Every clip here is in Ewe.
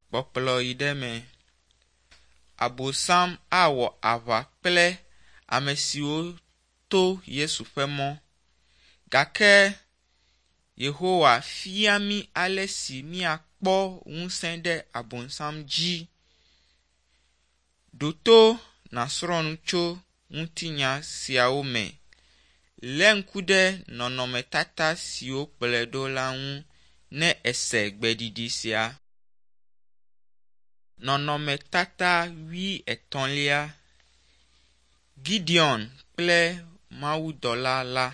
Kpɔkplɔ yi ɖe eme. Abosam awɔ aʋa kple ame siwo to Yesu ƒe mɔ. Gake Yehowa fia mí ale si míakpɔ ŋusẽ ɖe Abosam dzi. Ɖo to nàsrɔ̃ nu tso ŋutinya siawo me. Lé ŋku ɖe nɔnɔmetata siwo kplɔe ɖo la ŋu ne èse gbeɖiɖi sia. Nɔnɔmetata wuietɔ̃lia. Gideon kple mawudɔla la.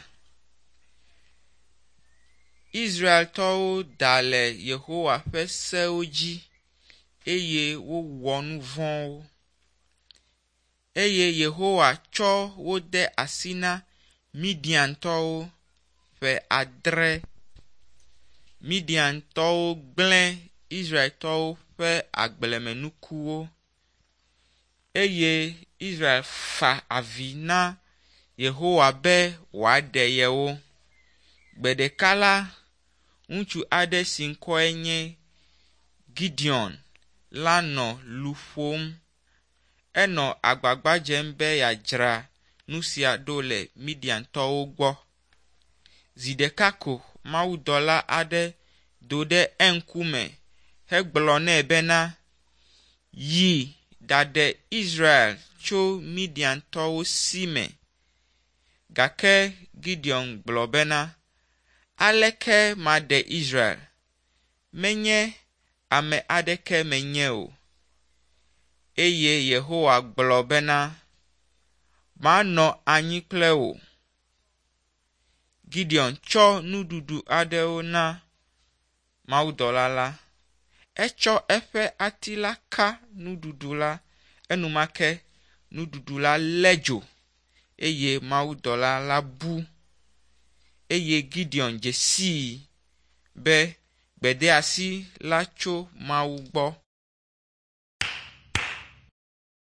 Israeltɔwo da le Yehowa ƒe sewo dzi eye wowɔ nu vɔ̃wo. Eye Yehowa tsɔ wo de asi na Midiantɔwo ƒe adre. Midiantɔwo gblẽ Israeltɔwo ƒe agblemenukuwo eye Israel fa avi na Yehowa be wòaɖe yewo. Gbe ɖeka la, ŋutsu aɖe si ŋkɔe nye Gideon la nɔ lu ƒom. Enɔ agbagba dzem be yeadzra nu sia ɖo le Midiantɔwo gbɔ. Zi ɖeka ko mawudɔla aɖe do ɖe eŋkume hegblɔ nɛ bena, Yi ɖaɖe Israel tso Midiantɔwo si me. Gake Gideon gblɔ bena, Aleke maɖe Israel? Menye ame aɖeke menye o. Eye Yehowa gblɔ bena, Manɔ anyi kple wò. Gideon tsɔ nuɖuɖu aɖewo na mawudɔla la. Etsɔ eƒe ati la ka nuɖuɖu la enumake nuɖuɖu la lé dzo eye mawudɔla la bu. Eye Gideon dze sii be gbedeasi la tso Mawu gbɔ.